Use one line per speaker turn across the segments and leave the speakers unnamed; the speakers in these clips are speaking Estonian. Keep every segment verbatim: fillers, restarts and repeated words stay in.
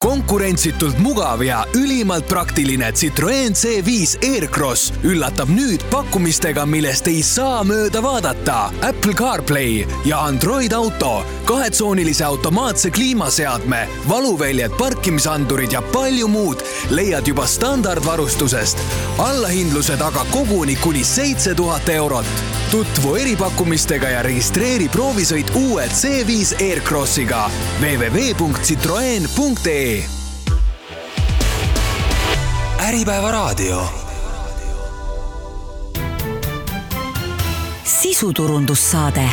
Konkurentsitult mugav ja ülimalt praktiline Citroen C viis Aircross üllatab nüüd pakkumistega, millest ei saa mööda vaadata. Apple CarPlay ja Android Auto, kahetsoonilise automaatse kliimaseadme, valuväljed, parkimisandurid ja palju muud leiad juba standardvarustusest. Allahindluse taga koguni kuni seitse tuhat eurot. Tutvu eripakkumistega ja registreeri proovisõit uue C viis Aircrossiga w w w punkt citroen punkt e. Äripäeva raadio.
Sisuturundussaade.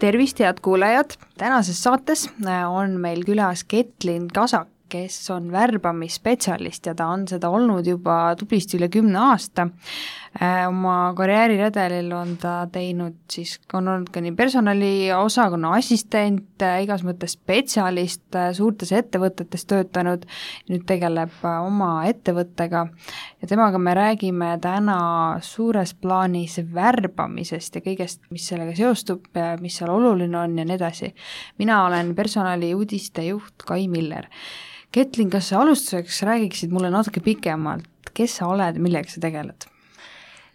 Tervist, head kuulajad! Tänases saates on meil külas Ketlin Kasak, kes on värbamisspetsialist ja ta on seda olnud juba tublisti üle kümne aasta. Oma karjääriredelil on ta teinud, siis on olnud ka nii personali osakonna assistent, igas mõttes spetsialist, suurtes ettevõtetes töötanud, nüüd tegeleb oma ettevõttega ja temaga me räägime täna suures plaanis värbamisest ja kõigest, mis sellega seostub, mis seal oluline on ja nii edasi. Mina olen personali uudiste juht Kai Miller. Ketlin, kas sa alustuseks räägiksid mulle natuke pikemalt, kes sa oled, millega sa tegeled?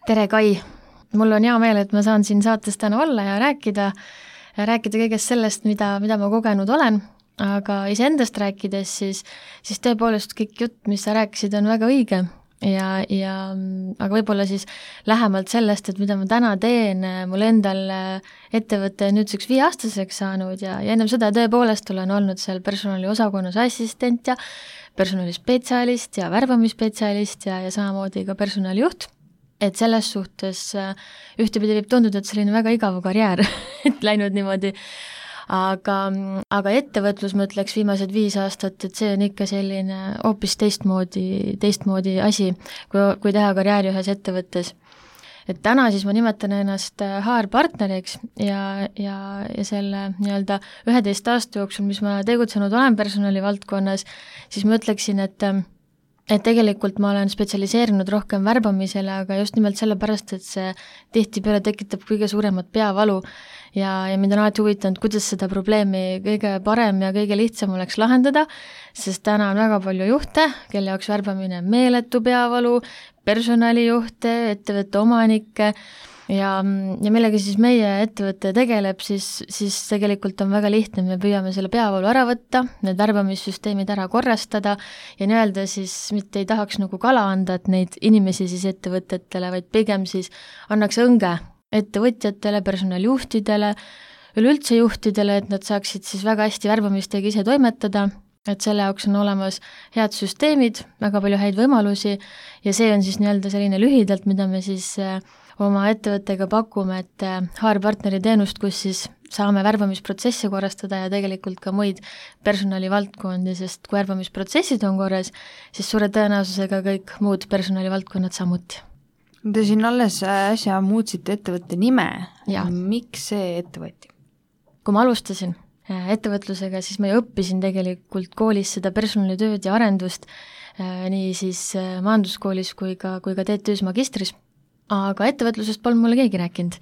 Tere, Kai! Mul on hea meel, et ma saan siin saates täna olla ja rääkida, rääkida kõigest sellest, mida, mida ma kogenud olen, aga iseendast rääkides, siis, siis tõepoolest kõik jutt, mis sa rääkisid, on väga õige. Ja, ja, aga võib-olla siis lähemalt sellest, et mida ma täna teen, mul endal ettevõte nüüdseks viieaastaseks saanud ja, ja ennem seda tõepoolest olen olnud seal personali osakonnas assistent ja personalispetsialist ja värbamisspetsialist ja, ja samamoodi ka personalijuht. Et selles suhtes ühtepidi võib tunduda, et selline väga igav karjäär, et läinud niimoodi. Aga, aga ettevõtlus, ma ütleks viimased viis aastat, et see on ikka selline hoopis teistmoodi, teistmoodi asi, kui, kui teha karjääri ühes ettevõttes. Et täna siis ma nimetan ennast H R-partneriks ja, ja, ja selle nii-öelda üheteist aasta jooksul, mis ma tegutsenud olen personali valdkonnas, siis ma ütleksin, et et tegelikult ma olen spetsialiseerinud rohkem värbamisele, aga just nimelt sellepärast, et see tihtipeale tekitab kõige suuremat peavalu ja, ja mind on alati huvitanud, kuidas seda probleemi kõige parem ja kõige lihtsam oleks lahendada, sest täna on väga palju juhte, kelle jaoks värbamine on meeletu peavalu, personalijuhte, ettevõtte omanikke ja, ja millega siis meie ettevõte tegeleb, siis, siis tegelikult on väga lihtne, me püüame selle peavalu ära võtta, need värbamissüsteemid ära korrastada ja nii-öelda siis mitte ei tahaks nagu kala anda, et neid inimesi siis ettevõtetele, vaid pigem siis annaks õnge ettevõtjatele, personalijuhtidele, üleüldse juhtidele, et nad saaksid siis väga hästi värbamistega ise toimetada, et selle jaoks on olemas head süsteemid, väga palju häid võimalusi ja see on siis nii-öelda selline lühidalt, mida me siis oma ettevõttega pakume, et H R-partneri teenust, kus siis saame värbamisprotsessi korrastada ja tegelikult ka muid personalivaldkondi, sest kui värbamisprotsessid on korras, siis suure tõenäosusega kõik muud personalivaldkonnad samuti.
Te siin alles äsja muutsite ettevõtte nime.
Ja.
Miks see ettevõtti?
Kui ma alustasin ettevõtlusega, siis ma ju õppisin tegelikult koolis seda personalitööd ja arendust, nii siis majanduskoolis kui ka, kui ka T T Ü's magistris. Aga ettevõtlusest polnud mulle keegi rääkinud.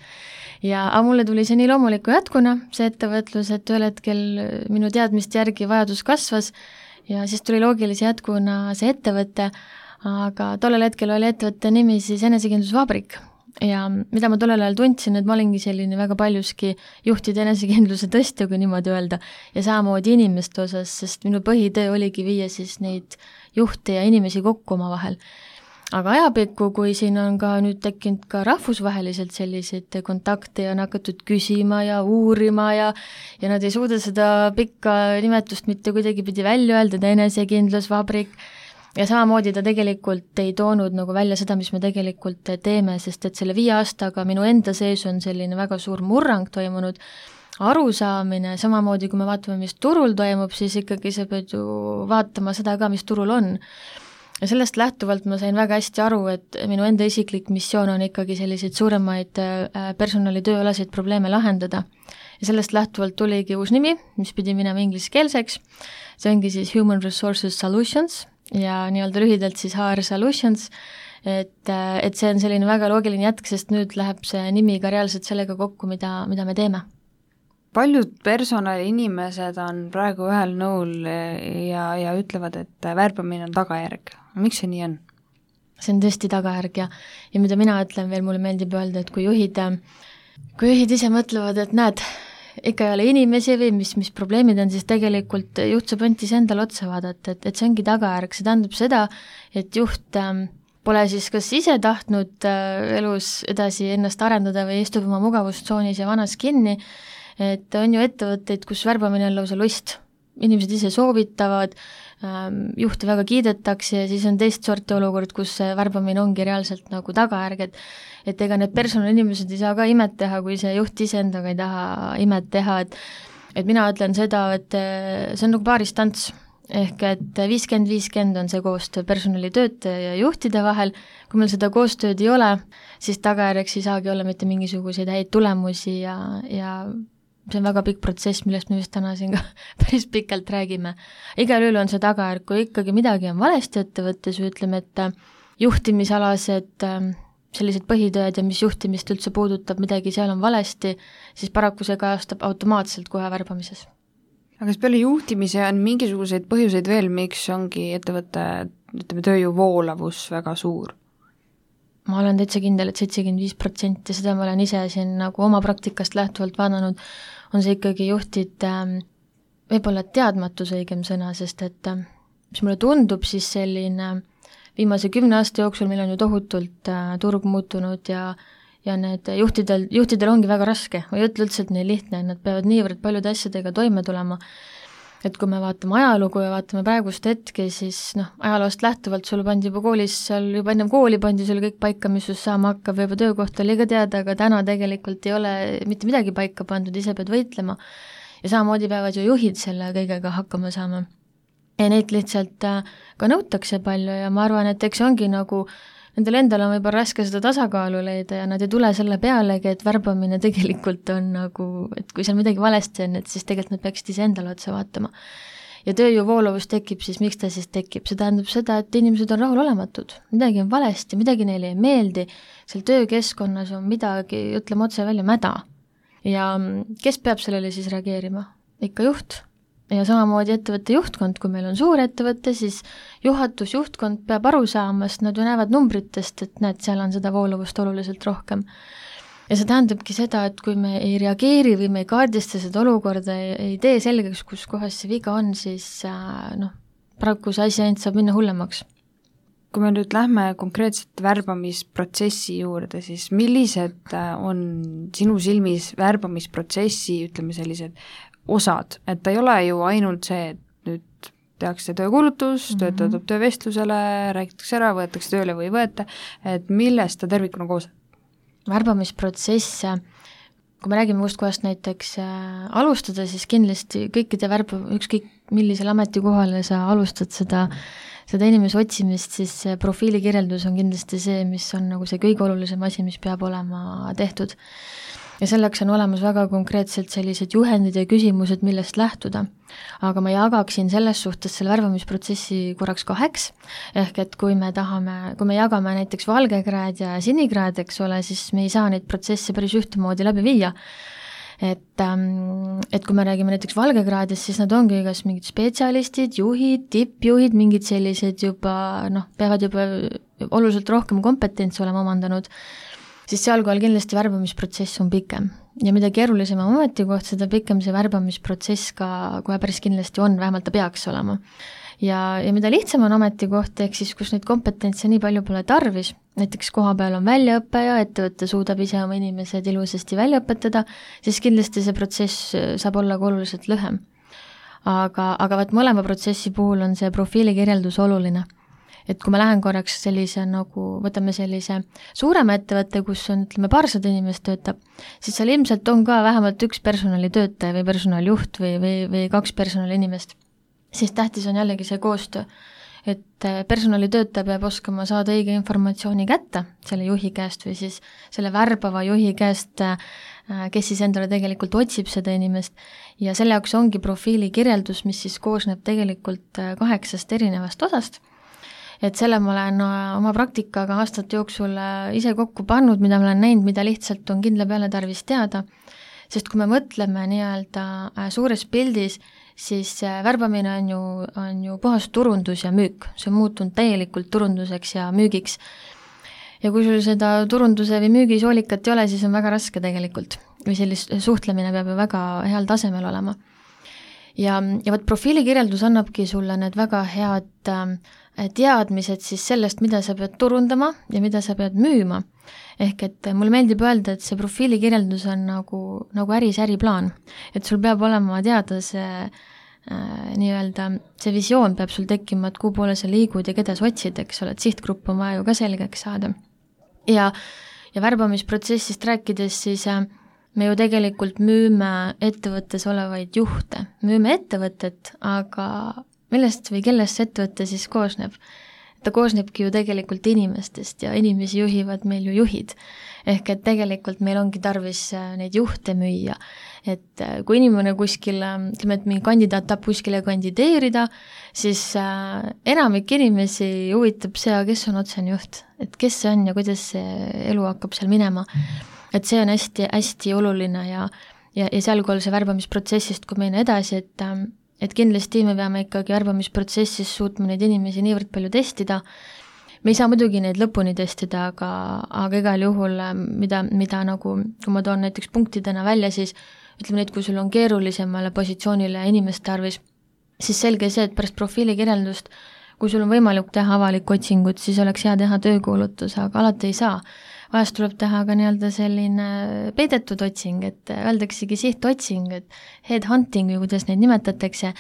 Ja aga mulle tuli see nii loomuliku jätkuna, see ettevõtlus, et ühel hetkel minu teadmist järgi vajadus kasvas ja siis tuli loogilise jätkuna see ettevõte, aga tollel hetkel oli ettevõtte nimi siis Enesekindlusvabrik. Ja mida ma tollel ajal tundsin, et ma olingi selline väga paljuski juhtide enesekindluse tõstja, kui niimoodi öelda, ja samamoodi inimeste osas, sest minu põhitöö oligi viia siis neid juhte ja inimesi kokku oma vahel. Aga ajapikku, kui siin on ka nüüd tekkinud ka rahvusvaheliselt selliseid kontakte ja on hakatud küsima ja uurima ja, ja nad ei suuda seda pikka nimetust mitte kuidagi pidi välja öelda, Enesekindlusvabrik, ja samamoodi ta tegelikult ei toonud nagu välja seda, mis me tegelikult teeme, sest et selle viie aastaga minu enda sees on selline väga suur murrang toimunud, arusaamine, samamoodi kui me vaatame, mis turul toimub, siis ikkagi sa pead ju vaatama seda ka, mis turul on. Ja sellest lähtuvalt ma sain väga hästi aru, et minu enda isiklik missioon on ikkagi selliseid suuremaid personalitööalaseid probleeme lahendada. Ja sellest lähtuvalt tuligi uus nimi, mis pidi minema ingliskeelseks. See ongi siis Human Resources Solutions ja nii-öelda lühidalt siis H R Solutions, et, et see on selline väga loogiline jätk, sest nüüd läheb see nimi ka reaalselt sellega kokku, mida, mida me teeme.
paljud personaliinimesed on praegu ühel nõul ja, ja ütlevad, et värbamine on tagajärg. Miks see nii on?
See on tõesti tagajärg ja, ja mida mina ütlen veel, mulle meeldib öelda, et kui juhid, kui juhid ise mõtlevad, et näed, ikka ei ole inimesi või mis, mis probleemid on, siis tegelikult juht saab ainult ise endale otsa vaadata, et, et see ongi tagajärg, see tähendab seda, et juht ähm, pole siis kas ise tahtnud äh, elus edasi ennast arendada või istub oma mugavustsoonis ja vanas kinni, et on ju ettevõtteid, kus värbamine on lausa lust. Inimesed ise soovitavad, juhti väga kiidetakse ja siis on teist sorti olukord, kus värbamine ongi reaalselt nagu tagajärg, et et ega need personalinimesed ei saa ka imet teha, kui see juht ise endaga ei taha imet teha, et et mina ütlen seda, et see on nagu paaristants, ehk et viiskümmend viiskümmend on see koostöö personalitöötaja ja juhtide vahel, kui meil seda koostööd ei ole, siis tagajärjeks ei saagi olla mitte mingisuguseid häid tulemusi ja, ja see on väga pikk protsess, millest me just täna siin ka päris pikalt räägime. Igal juhul on see tagajärg, kui ikkagi midagi on valesti ettevõttes, ütleme, et juhtimisalased sellised põhitööd ja mis juhtimist üldse puudutab, midagi seal on valesti, siis paraku see kajastab automaatselt kohe värbamises.
Aga kas peale juhtimise on mingisuguseid põhjuseid veel, miks ongi ettevõtte, ütleme, tööjõu voolavus väga suur? Ma olen täitsa kindel, et seitsekümmend viis protsenti, seda ma olen ise siin nagu oma praktikast lähtuvalt vaadanud, on see ikkagi juhtid võib-olla teadmatus õigem sõna, sest et mis mulle tundub, siis selline viimase kümne aasta jooksul meil on ju tohutult turg muutunud ja, ja need juhtidel, juhtidel ongi väga raske, ma ei ütle üldse, et neil lihtne, nad peavad niivõrd paljude asjadega toime tulema, et kui me vaatame ajalugu ja vaatame praegust hetke, siis noh, ajaloost lähtuvalt sul pandi juba koolis, seal juba ennem kooli pandi sul kõik paika, mis sul saama hakkab, juba töökoht oli ka teada, aga täna tegelikult ei ole mitte midagi paika pandud, ise pead võitlema ja samamoodi peavad ju juhid selle kõigega hakkama saama. Ja neid lihtsalt ka nõutakse palju ja ma arvan, et eks ongi nagu nendel endal on võib-olla raske seda tasakaalu leida ja nad ei tule selle pealegi, et värbamine tegelikult on nagu, et kui seal midagi valesti on, et siis tegelikult nad peaksid ise endale otsa vaatama. Ja tööjõu voolavus tekib, siis miks ta siis tekib? See tähendab seda, et inimesed on rahulolematud, midagi on valesti, midagi neile ei meeldi, seal töökeskkonnas on midagi, ütleme otse välja, mäda. Ja kes peab sellele siis reageerima? Ikka juht. Ja samamoodi ettevõtte juhtkond, kui meil on suur ettevõte, siis juhatus, juhtkond peab aru saama, sest nad ju näevad numbritest, et näed, seal on seda voolavust oluliselt rohkem. Ja see tähendabki seda, et kui me ei reageeri või me ei kaardista seda olukorda, ei, ei tee selgeks, kus kohas see viga on, siis noh, paraku see asi ainult saab minna hullemaks. Kui me nüüd lähme konkreetselt värbamisprotsessi juurde, siis millised on sinu silmis värbamisprotsessi, ütleme sellised osad, et ta ei ole ju ainult see, et nüüd tehakse töökuulutus, mm-hmm. töötatud töövestlusele, räägitakse ära, võetakse tööle või ei võeta, et millest ta tervikuna koos?
Värbamisprotsess, kui me räägime kust kohast näiteks äh, alustada, siis kindlasti kõikide värba, ükskõik millisel ametikohale sa alustad seda, seda inimese otsimist, siis profiilikirjeldus on kindlasti see, mis on nagu see kõige olulisem asi, mis peab olema tehtud. Ja selleks on olemas väga konkreetselt sellised juhendid ja küsimused, millest lähtuda. Aga ma jagaksin selles suhtes selle värbamisprotsessi korraks kaheks, ehk et kui me tahame, kui me jagame näiteks valgekraad ja sinikraad, eks ole, siis me ei saa neid protsesse päris ühtemoodi läbi viia. Et, et kui me räägime näiteks valgekraadist, siis nad ongi kas mingid spetsialistid, juhid, tippjuhid, mingid sellised juba, noh, peavad juba oluliselt rohkem kompetentsi olema omandanud, siis sealkohal kindlasti värbamisprotsess on pikem. Ja mida keerulisem on ametikoht, seda pikem see värbamisprotsess ka kohe päris kindlasti on, vähemalt ta peaks olema. Ja, ja mida lihtsam on ametikoht, ehk siis kus neid kompetentse nii palju pole tarvis, näiteks koha peal on väljaõpe ja ettevõtte suudab ise oma inimesed ilusasti välja õpetada, siis kindlasti see protsess saab olla ka oluliselt lühem. Aga, aga vaat mõlema protsessi puhul on see profiilikirjeldus oluline. Et kui ma lähen korraks sellise nagu, võtame sellise suurema ettevõtte, kus on, ütleme, paarsada inimest töötab, siis seal ilmselt on ka vähemalt üks personalitöötaja või personaljuht või, või, või kaks personalinimest. Siis tähtis on jällegi see koostöö, et personalitöötaja peab oskama saada õige informatsiooni kätte selle juhi käest või siis selle värbava juhi käest, kes siis endale tegelikult otsib seda inimest ja selle jaoks ongi profiilikirjeldus, mis siis koosneb tegelikult kaheksast erinevast osast. Et selle ma olen oma praktikaga aastate jooksul ise kokku pannud, mida ma olen näinud, mida lihtsalt on kindla peale tarvis teada. sest kui me mõtleme nii-öelda suures pildis, siis värbamine on ju, on ju puhas turundus ja müük, see on muutunud täielikult turunduseks ja müügiks. Ja kui sul seda turunduse või müügi soolikat ei ole, siis on väga raske tegelikult, või sellist suhtlemine peab ju väga heal tasemel olema. Ja, ja võt profiilikirjeldus annabki sulle need väga head teadmised siis sellest, mida sa pead turundama ja mida sa pead müüma. Ehk et mulle meeldib öelda, et see profiilikirjeldus on nagu, nagu äris äriplaan, et sul peab olema teada see äh, nii-öelda, see visioon peab sul tekkima, et kuhu poole sa liigud ja keda sa otsid, eks ole, et sihtgrupp on vaja ju ka selgeks saada. Ja, ja värbamisprotsessist rääkides siis äh, me ju tegelikult müüme ettevõttes olevaid juhte, müüme ettevõtet, aga millest või kellest see ettevõte siis koosneb? Ta koosnebki ju tegelikult inimestest ja inimesi juhivad meil ju juhid. Ehk et tegelikult meil ongi tarvis neid juhte müüa. Et kui inimene kuskil, ütleme, et mingi kandidaat tahab kuskile kandideerida, siis enamik inimesi huvitab see, kes on otsene juht, et kes see on ja kuidas see elu hakkab seal minema. Et see on hästi, hästi oluline ja, ja, ja seal kui see värbamisprotsessist, kui meina edasi, et et kindlasti me peame ikkagi värbamisprotsessis suutma neid inimesi niivõrd palju testida. Me ei saa muidugi neid lõpuni testida, aga, aga igal juhul, mida, mida nagu, kui ma toon näiteks punktidena välja, siis ütleme neid, kui sul on keerulisemale positsioonile inimeste arvis, siis selge see, et pärast profiilikirjeldust, kui sul on võimalik teha avalikku otsingut, siis oleks hea teha töökuulutus, aga alati ei saa. Vahest tuleb teha ka nii-öelda selline peidetud otsing, et öeldaksegi sihtotsing, et headhunting või kuidas neid nimetatakse,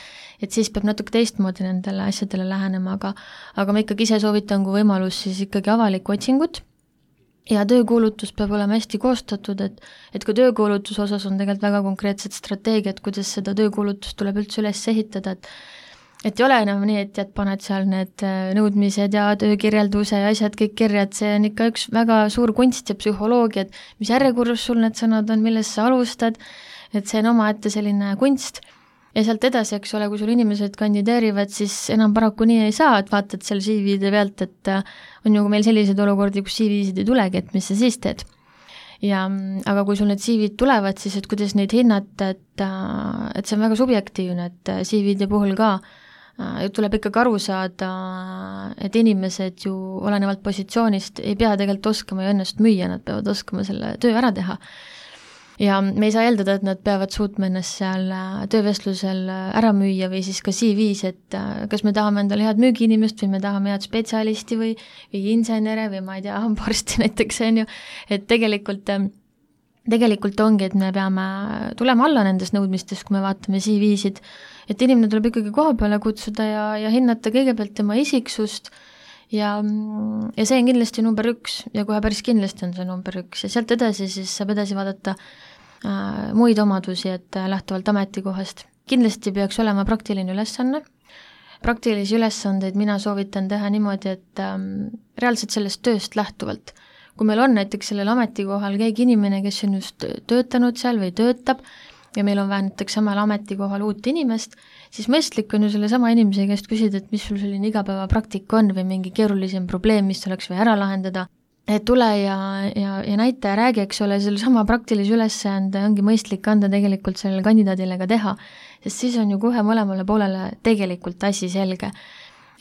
et siis peab natuke teistmoodi nendele asjadele lähenema, aga, aga ma ikkagi ise soovitan kui võimalus siis ikkagi avalikku otsingut ja töökuulutus peab olema hästi koostatud, et, et kui töökuulutus osas on tegelikult väga konkreetsed strateegiad, kuidas seda töökuulutust tuleb üldse üles ehitada, et et ei ole enam nii, et jät paned seal need nõudmised ja töökirjelduse ja asjad kõik kirjad, see on ikka üks väga suur kunst ja psühholoogia, et mis järjekorras sul need sõnad on, millest sa alustad, et see on omaette selline kunst. Ja sealt edasi, eks ole, kui sul inimesed kandideerivad, siis enam paraku nii ei saa, et vaatad seal C V-de pealt, et on ju meil sellised olukordi, kus C V-sid ei tulegi, et mis sa siis teed. Ja, aga kui sul need C V-d tulevad, siis et kuidas neid hinnata, et, et see on väga subjektiivne, et C V-de puhul ka tuleb ikkagi aru saada, et inimesed ju olenevalt positsioonist ei pea tegelikult oskama ja ennast müüa, nad peavad oskama selle töö ära teha. Ja me ei saa eeldada, et nad peavad suutma ennast seal töövestlusel ära müüa või siis ka C V-s, et kas me tahame endale head müügiinimest või me tahame head spetsialisti või, või insenere või ma ei tea, hambaarsti näiteks on ju, et tegelikult tegelikult ongi, et me peame tulema alla nendest nõudmistest, kui me vaatame C V-sid, et inimene tuleb ikkagi koha peale kutsuda ja, ja hinnata kõigepealt tema isiksust ja, ja see on kindlasti number üks ja kohe päris kindlasti on see number üks ja sealt edasi siis saab edasi vaadata äh, muid omadusi, et äh, lähtuvalt ametikohast. Kindlasti peaks olema praktiline ülesanne. Praktilisi ülesandeid mina soovitan teha niimoodi, et äh, reaalselt sellest tööst lähtuvalt. Kui meil on näiteks sellel ametikohal keegi inimene, kes on just töötanud seal või töötab ja meil on vaja näiteks samal ametikohal uut inimest, siis mõistlik on ju selle sama inimese käest küsida, et mis sul selline igapäeva praktika on või mingi keerulisem probleem, mis oleks vaja ära lahendada. Et tule ja, ja, ja näita ja räägi, eks ole, selle sama praktilise ülesande ongi mõistlik anda tegelikult sellele kandidaadile ka teha, sest siis on ju kohe mõlemale poolele tegelikult asi selge.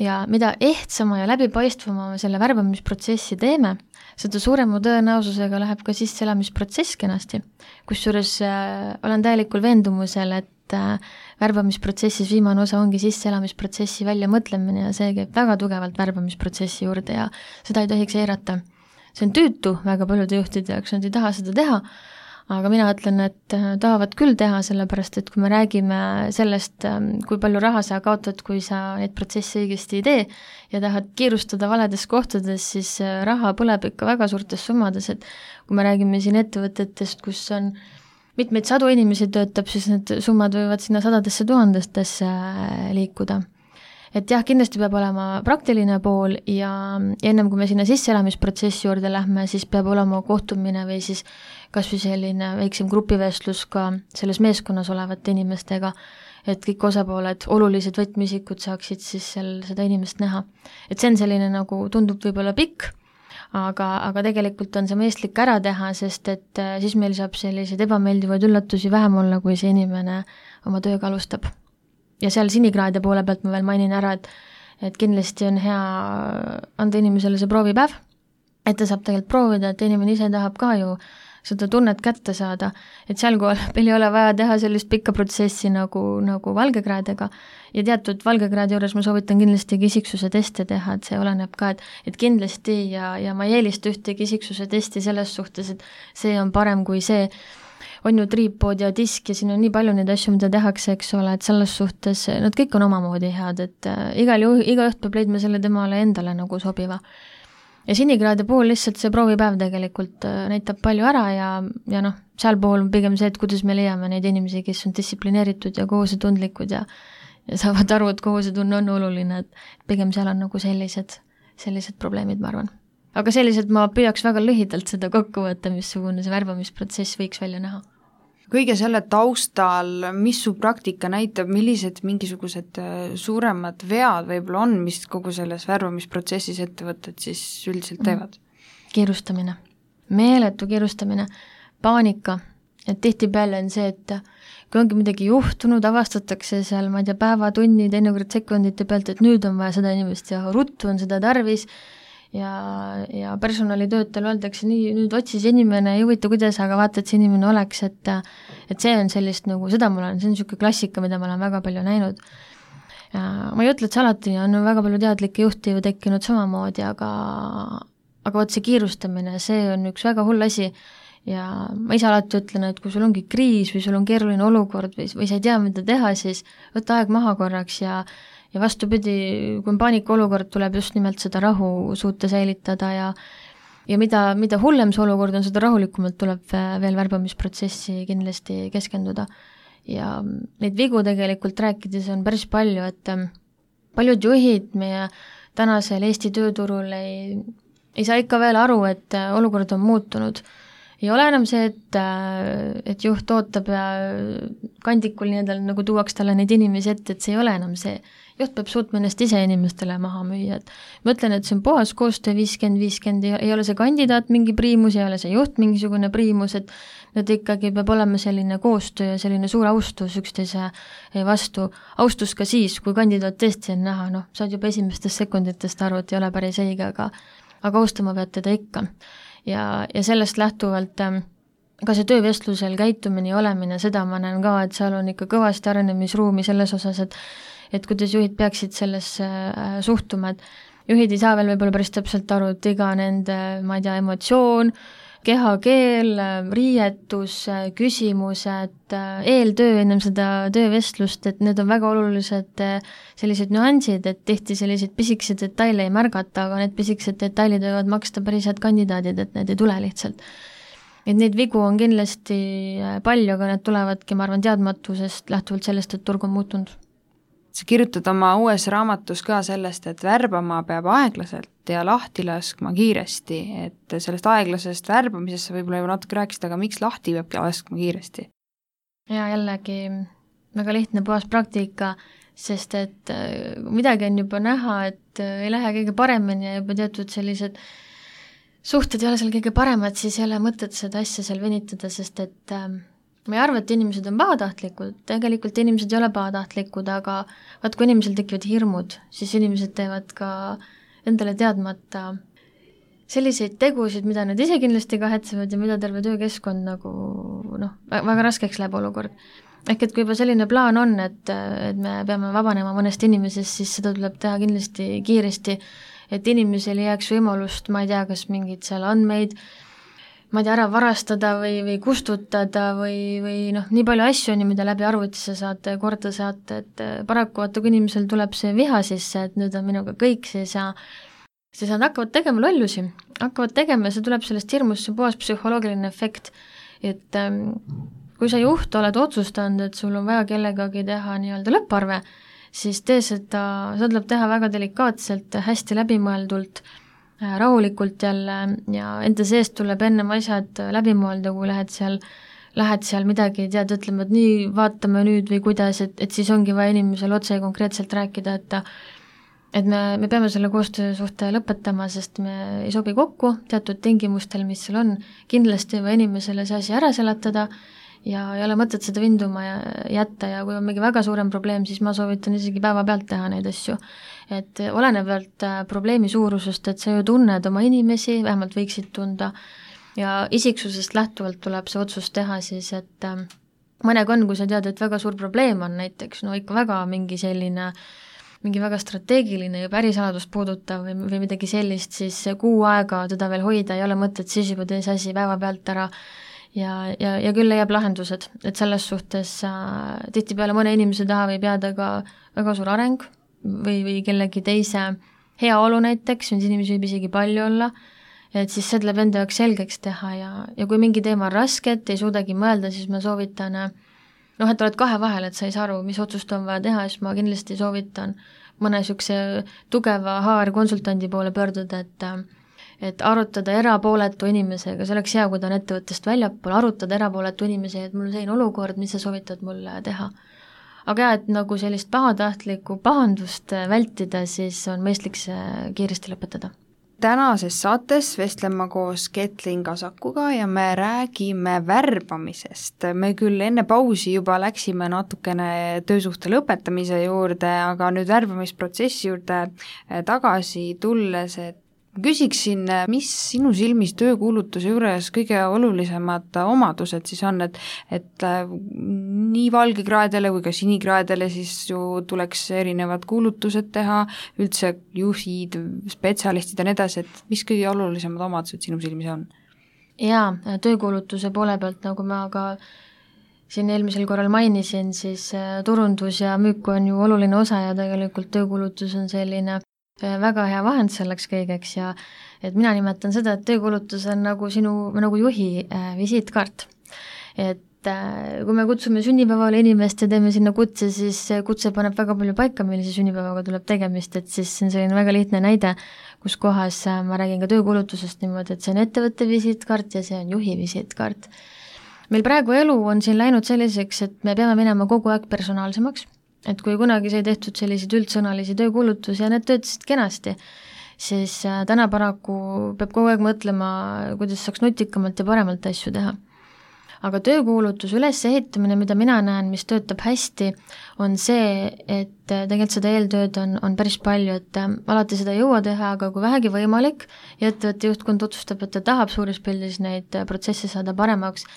Ja mida ehtsama ja läbipaistvama selle värbamisprotsessi teeme, seda suurema tõenäosusega läheb ka sisseelamisprotsess kenasti. Kusjuures äh, olen täielikul veendumusel, et äh, värbamisprotsessis viimane osa ongi sisseelamisprotsessi välja mõtlemine ja see käib väga tugevalt värbamisprotsessi juurde ja seda ei tohiks eirata. See on tüütu väga paljude juhtide jaoks, nad ei taha seda teha, aga mina ütlen, et tahavad küll teha, sellepärast et kui me räägime sellest, kui palju raha sa kaotad, kui sa neid protsessi õigesti ei tee ja tahad kiirustada valedes kohtades, siis raha põleb ikka väga suurtes summades, et kui me räägime siin ettevõtetest, kus on mitmeid sadu inimesi töötab, siis need summad võivad sinna sadadesse tuhandestesse liikuda. Et jah, kindlasti peab olema praktiline pool ja ennem kui me sinna sisseelamisprotsessi juurde lähme, siis peab olema kohtumine või siis kas või selline väiksem grupivestlus ka selles meeskonnas olevate inimestega, et kõik osapooled, olulised võtmisikud saaksid siis seal seda inimest näha. Et see on selline nagu tundub võib-olla pikk, aga, aga tegelikult on see mõistlik ära teha, sest et siis meil saab selliseid ebameeldivaid üllatusi vähem olla, kui see inimene oma tööga alustab. Ja seal sinikraade poole pealt ma veel mainin ära, et, et kindlasti on hea anda inimesele see proovipäev, et ta saab tegelikult proovida, et inimene ise tahab ka ju seda tunnet kätte saada, et seal kohal meil ei ole vaja teha sellist pikka protsessi nagu, nagu valgekraadega ja teatud valgekraadi juures ma soovitan kindlasti isiksuse teste teha, et see oleneb ka, et, et kindlasti ja, ja ma ei eelista ühtegi isiksuse testi selles suhtes, et see on parem kui see, on ju triipood ja disk ja siin on nii palju neid asju, mida tehakse, eks ole, et selles suhtes nad kõik on omamoodi head, et igal juhul, igaüht peab leidma selle temale endale nagu sobiva. Ja sinikraade puhul lihtsalt see proovipäev tegelikult näitab palju ära ja, ja noh, seal puhul on pigem see, et kuidas me leiame neid inimesi, kes on distsiplineeritud ja kohusetundlikud ja, ja saavad aru, et kohusetunne on oluline, et pigem seal on nagu sellised, sellised probleemid, ma arvan. Aga sellised ma püüaks väga lühidalt seda kokku võtta, missugune see värbamisprotsess võiks välja näha.
Kõige selle taustal, mis su praktika näitab, millised mingisugused suuremad vead võib-olla on, mis kogu selles värbamisprotsessis ettevõtted siis üldiselt teevad?
Kiirustamine, meeletu kiirustamine, paanika, et tihtipeale on see, et kui ongi midagi juhtunud, avastatakse seal, ma ei tea, päeva, tunni, teinekord sekundite pealt, et nüüd on vaja seda inimest ja ruttu on seda tarvis ja, ja personalitöötajal öeldakse nii, nüüd otsis inimene, ei huvita kuidas, aga vaata, et see inimene oleks, et, et see on sellist nagu, seda mul on, see on niisugune klassika, mida ma olen väga palju näinud. Ja ma ei ütle, et see alati on väga palju teadlikke juhti ju tekkinud samamoodi, aga, aga võt see kiirustamine, see on üks väga hull asi ja ma ise alati ütlen, et kui sul ongi kriis või sul on keeruline olukord või, või sa ei tea, mida teha, siis võta aeg maha korraks ja ja vastupidi, kui on paanikaolukord, tuleb just nimelt seda rahu suuta säilitada ja ja mida, mida hullem see olukord on, seda rahulikumalt tuleb veel värbamisprotsessi kindlasti keskenduda. Ja neid vigu tegelikult rääkides on päris palju, et paljud juhid meie tänasel Eesti tööturul ei, ei saa ikka veel aru, et olukord on muutunud. Ei ole enam see, et, et juht ootab ja kandikul nii-edal nagu tuuaks talle neid inimesi ette, et see ei ole enam see. Juht peab suutma ennast ise inimestele maha müüa, et ma ütlen, et see on puhas koostöö viiskümmend viiskümmend, ei ole see kandidaat mingi priimus, ei ole see juht mingisugune priimus, et need ikkagi peab olema selline koostöö ja selline suur austus üksteise vastu. Austus ka siis, kui kandidaat tõesti on näha, noh, saad juba esimestest sekunditest aru, et ei ole päris õige, aga, aga austama pead teda ikka. Ja, ja sellest lähtuvalt ka see töövestlusel käitumine ja olemine, seda ma näen ka, et seal on ikka kõvasti arenemisruumi selles osas, et et kuidas juhid peaksid sellesse suhtuma, et juhid ei saa veel võib-olla päris täpselt aru, et iga nende, ma ei tea, emotsioon, kehakeel, riietus, küsimused, eeltöö ennem seda töövestlust, et need on väga olulised sellised nüansid, et tihti sellised pisikesed detaile ei märgata, aga need pisikesed detailid võivad maksta päris head kandidaadid, et need ei tule lihtsalt. Et neid vigu on kindlasti palju, aga need tulevadki, ma arvan, teadmatusest lähtuvalt sellest, et turg on muutunud.
Sa kirjutad oma uues raamatus ka sellest, et värbama peab aeglaselt ja lahti laskma kiiresti, et sellest aeglasest värbamisest sa võib-olla juba natuke rääkisid, aga miks lahti peabki laskma kiiresti?
Ja jällegi väga lihtne puhas praktika, sest et midagi on juba näha, et ei lähe kõige paremini ja juba teatud sellised suhted ei ole seal kõige paremad, siis ei ole mõtet seda asja seal venitada, sest et ma ei arva, et inimesed on pahatahtlikud, tegelikult inimesed ei ole pahatahtlikud, aga vaat kui inimesel tekivad hirmud, siis inimesed teevad ka endale teadmata selliseid tegusid, mida nad ise kindlasti kahetsevad ja mida terve töökeskkond nagu noh, väga raskeks läheb olukord. Ehk et kui juba selline plaan on, et, et me peame vabanema mõnest inimesest, siis seda tuleb teha kindlasti kiiresti, et inimesel ei jääks võimalust, ma ei tea, kas mingid seal andmeid, ma ei tea, ära varastada või, või kustutada või, või noh, nii palju asju on, mida läbi arvutisse saate korda saate, et paraku vaata, kui inimesel tuleb see viha sisse, et nüüd on minuga kõik, siis, ja, siis nad hakkavad tegema lollusi, hakkavad tegema ja see tuleb sellest hirmust, see puhas psühholoogiline efekt, et ähm, kui sa juht oled otsustanud, et sul on vaja kellegagi teha nii-öelda lõpparve, siis tee seda, seda tuleb teha väga delikaatselt, hästi läbimõeldult, rahulikult jälle ja enda seest tuleb ennem asjad läbi mõelda, kui lähed seal, lähed seal midagi, tead, ütlema, et nii vaatame nüüd või kuidas, et, et siis ongi vaja inimesel otse konkreetselt rääkida, et et me, me peame selle koostöösuhte lõpetama, sest me ei sobi kokku teatud tingimustel, mis seal on, kindlasti või inimesele see asi ära seletada ja ei ole mõtet seda vinduma ja jätta ja kui on mingi väga suurem probleem, siis ma soovitan isegi päeva pealt teha neid asju. Et olenevalt probleemi suurusest, et sa ju tunned oma inimesi, vähemalt võiksid tunda ja isiksusest lähtuvalt tuleb see otsus teha siis, et mõnega on, kui sa tead, et väga suur probleem on näiteks, no ikka väga mingi selline mingi väga strateegiline ja pärisaladust puudutav või, või midagi sellist, siis kuu aega teda veel hoida ei ole mõtet, siis juba tee see asi päeva pealt ära ja, ja, ja küll leiab lahendused, et selles suhtes äh, tihtipeale mõne inimese taha võib jääda ka väga suur areng või, või kellegi teise heaolu näiteks, mis inimesi võib isegi palju olla, et siis see tuleb enda jaoks selgeks teha ja, ja kui mingi teema on raske, et ei suudagi mõelda, siis ma soovitan noh, et oled kahe vahel, et sa ei saa aru, mis otsust on vaja teha, siis ma kindlasti soovitan mõne niisuguse tugeva H R-konsultandi poole pöörduda, et et arutada erapooletu inimesega, see oleks hea, kui ta on ettevõttest väljapool, arutada erapooletu inimesega, et mul on selline olukord, mis sa soovitad mulle teha. Aga jah, et nagu sellist pahatahtlikku pahandust vältida, siis on mõistlik see kiiresti lõpetada.
Tänases saates vestlen ma koos Ketlin Kasakuga ja me räägime värbamisest. Me küll enne pausi juba läksime natukene töösuhte lõpetamise juurde, aga nüüd värbamisprotsessi juurde tagasi tulles, et küsiksin, mis sinu silmis töökuulutuse juures kõige olulisemad omadused siis on, et, et nii valgekraedele kui ka sinikraedele siis ju tuleks erinevad kuulutused teha, üldse juhid, spetsialistid ja nii edasi, et mis kõige olulisemad omadused sinu silmis on?
Jaa, töökuulutuse poole pealt, nagu ma ka siin eelmisel korral mainisin, siis turundus ja müük on ju oluline osa ja tegelikult töökuulutus on selline väga hea vahend selleks kõigeks ja et mina nimetan seda, et töökuulutus on nagu sinu, nagu juhi äh, visiitkaart. Et äh, kui me kutsume sünnipäevale inimest ja teeme sinna kutse, siis kutse paneb väga palju paika, millise sünnipäevaga tuleb tegemist, et siis see on selline väga lihtne näide, kus kohas äh, ma räägin ka töökuulutusest niimoodi, et see on ettevõtte visiitkaart ja see on juhi visiitkaart. Meil praegu elu on siin läinud selliseks, et me peame minema kogu aeg personaalsemaks, et kui kunagi sai tehtud selliseid üldsõnalisi töökuulutusi ja need töötasid kenasti, siis täna paraku peab kogu aeg mõtlema, kuidas saaks nutikamalt ja paremalt asju teha. Aga töökuulutus ülesehitamine, mida mina näen, mis töötab hästi, on see, et tegelikult seda eeltööd on, on päris palju, et alati seda ei jõua teha, aga kui vähegi võimalik ja ettevõtte juhtkond otsustab, et ta tahab suures pildis neid protsesse saada paremaks,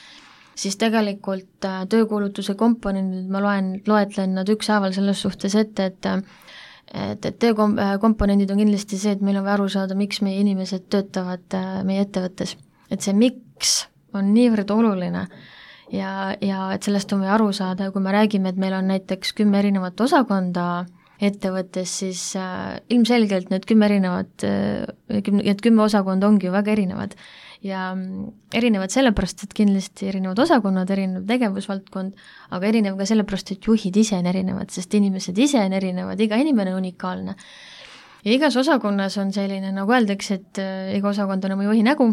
siis tegelikult töökuulutuse komponendid, ma loen, loetlen nad ükshaaval selles suhtes ette, et et, et töökomponendid on kindlasti see, et meil on vaja aru saada, miks meie inimesed töötavad meie ettevõttes. Et see miks on niivõrd oluline ja, ja et sellest on vaja aru saada ja kui me räägime, et meil on näiteks kümme erinevat osakonda ettevõttes, siis äh, ilmselgelt need kümme erinevat, need kümme osakonda ongi ju väga erinevad ja erinevad sellepärast, et kindlasti erinevad osakonnad, erinev tegevusvaldkond, aga erinev ka sellepärast, et juhid ise on erinevad, sest inimesed ise on erinevad, iga inimene on unikaalne. Ja igas osakonnas on selline, nagu öeldakse, et iga osakond on oma juhi nägu,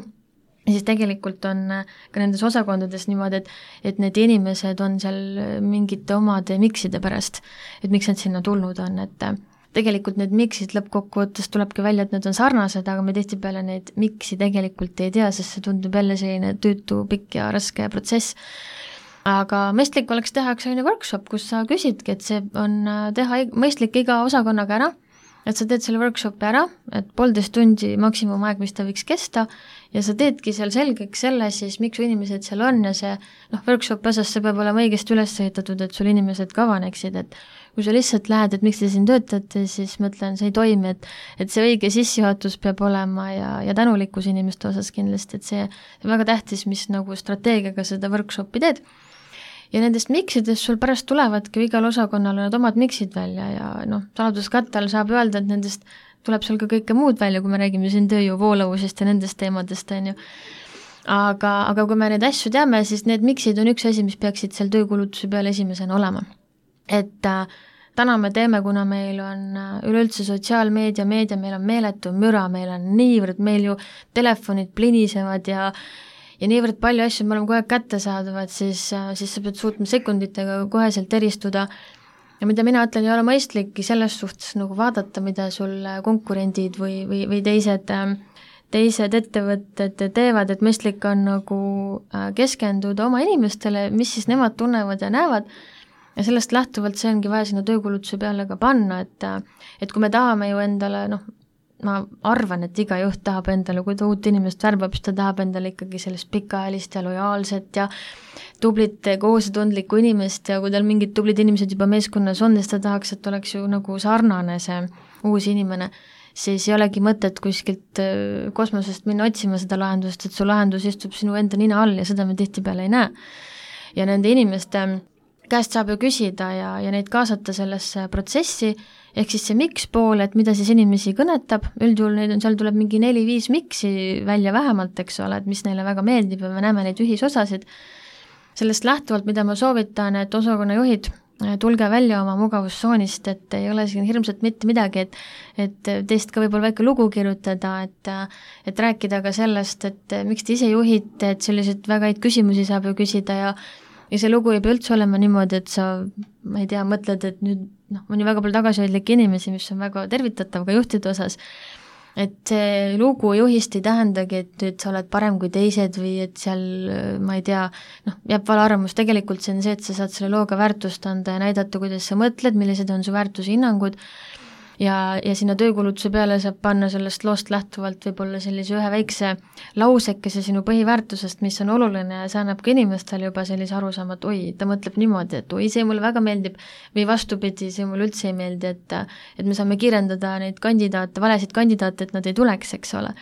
ja siis tegelikult on ka nendes osakondades niimoodi, et, et need inimesed on seal mingite omade mikside pärast, et miks nad sinna tulnud on, et tegelikult need miksid lõppkokkuvõttes tulebki välja, et need on sarnased, aga me tihtipeale neid miksi tegelikult ei tea, sest see tundub jälle selline tüütu, pikk ja raske protsess. Aga mõistlik oleks teha üks selline workshop, kus sa küsidki, et see on teha mõistlik iga osakonnaga ära, et sa teed selle workshopi ära, et poolteist tundi maksimumaeg, mis ta võiks kesta, ja sa teedki seal selgeks selle siis, miks su inimesed seal on ja see noh, workshopi osas see peab olema õigesti üles ehitatud, et sul inimesed ka avaneksid, et kui sa lihtsalt lähed, et miks te siin töötate, siis ma ütlen, see ei toimi, et, et see õige sissejuhatus peab olema ja, ja tänulikkus inimeste osas kindlasti, et see on väga tähtis, mis nagu strateegiaga seda workshopi teed. Ja nendest miksidest sul pärast tulevadki igal osakonnal need omad miksid välja ja noh, saladuskattel saab öelda, et nendest tuleb seal ka kõike muud välja, kui me räägime siin tööjõu voolavusest ja nendest teemadest, on ju. Aga, aga kui me neid asju teame, siis need miksid on üks asi, mis peaksid seal töökuulutuse peal esimesena olema. Et äh, täna me teeme, kuna meil on üleüldse sotsiaalmeedia, meedia, meil on meeletu müra, meil on niivõrd, meil ju telefonid plinisevad ja ja niivõrd palju asju, me oleme kogu aeg kättesaadavad, siis, siis sa pead suutma sekunditega koheselt eristuda ja mida mina ütlen, ei ole mõistlikki selles suhtes nagu vaadata, mida sul konkurendid või, või, või teised, teised ettevõtted teevad, et mõistlik on nagu keskenduda oma inimestele, mis siis nemad tunnevad ja näevad, ja sellest lähtuvalt see ongi vaja sinna töökulutuse peale ka panna, et, et kui me tahame ju endale, noh, ma arvan, et iga juht tahab endale, kui ta uut inimest värbab, siis ta tahab endale ikkagi sellist pikaajalist ja lojaalset ja tublit kohusetundlikku inimest ja kui tal mingid tublid inimesed juba meeskonnas on, siis ta tahaks, et oleks ju nagu sarnane see uus inimene, siis ei olegi mõtet kuskilt kosmosest minna otsima seda lahendust, et su lahendus istub sinu enda nina all ja seda me tihtipeale ei näe. Ja nende inimeste käest saab ju küsida ja, ja neid kaasata sellesse protsessi, ehk siis see miks pool, et mida siis inimesi kõnetab, üldjuhul neid on, seal tuleb mingi neli-viis miksi välja vähemalt, eks ole, et mis neile väga meeldib ja me näeme neid ühisosasid. Sellest lähtuvalt, mida ma soovitan, et osakonnajuhid, tulge välja oma mugavustsoonist, et ei ole siin hirmsat mitte midagi, et, et teist ka võib-olla väike lugu kirjutada, et, et rääkida ka sellest, et miks te ise juhite, et selliseid väga häid küsimusi saab ju küsida ja ja see lugu ei pea üldse olema niimoodi, et sa, ma ei tea, mõtled, et nüüd, noh, on ju väga palju tagasihoidlikke inimesi, mis on väga tervitatav ka juhtide osas, et see lugu juhist ei tähendagi, et nüüd sa oled parem kui teised või et seal, ma ei tea, noh, jääb vale arvamus, tegelikult see on see, et sa saad selle looga väärtust anda ja näidata, kuidas sa mõtled, millised on su väärtushinnangud ja, ja sinna töökulutuse peale saab panna sellest loost lähtuvalt võib-olla sellise ühe väikse lausekese sinu põhiväärtusest, mis on oluline ja see annab ka inimestele juba sellise arusaama, et oi, ta mõtleb niimoodi, et oi, see mulle väga meeldib või vastupidi, see mulle üldse ei meeldi, et, et me saame kirjeldada neid kandidaate, valesid kandidaate, et nad ei tuleks, eks ole.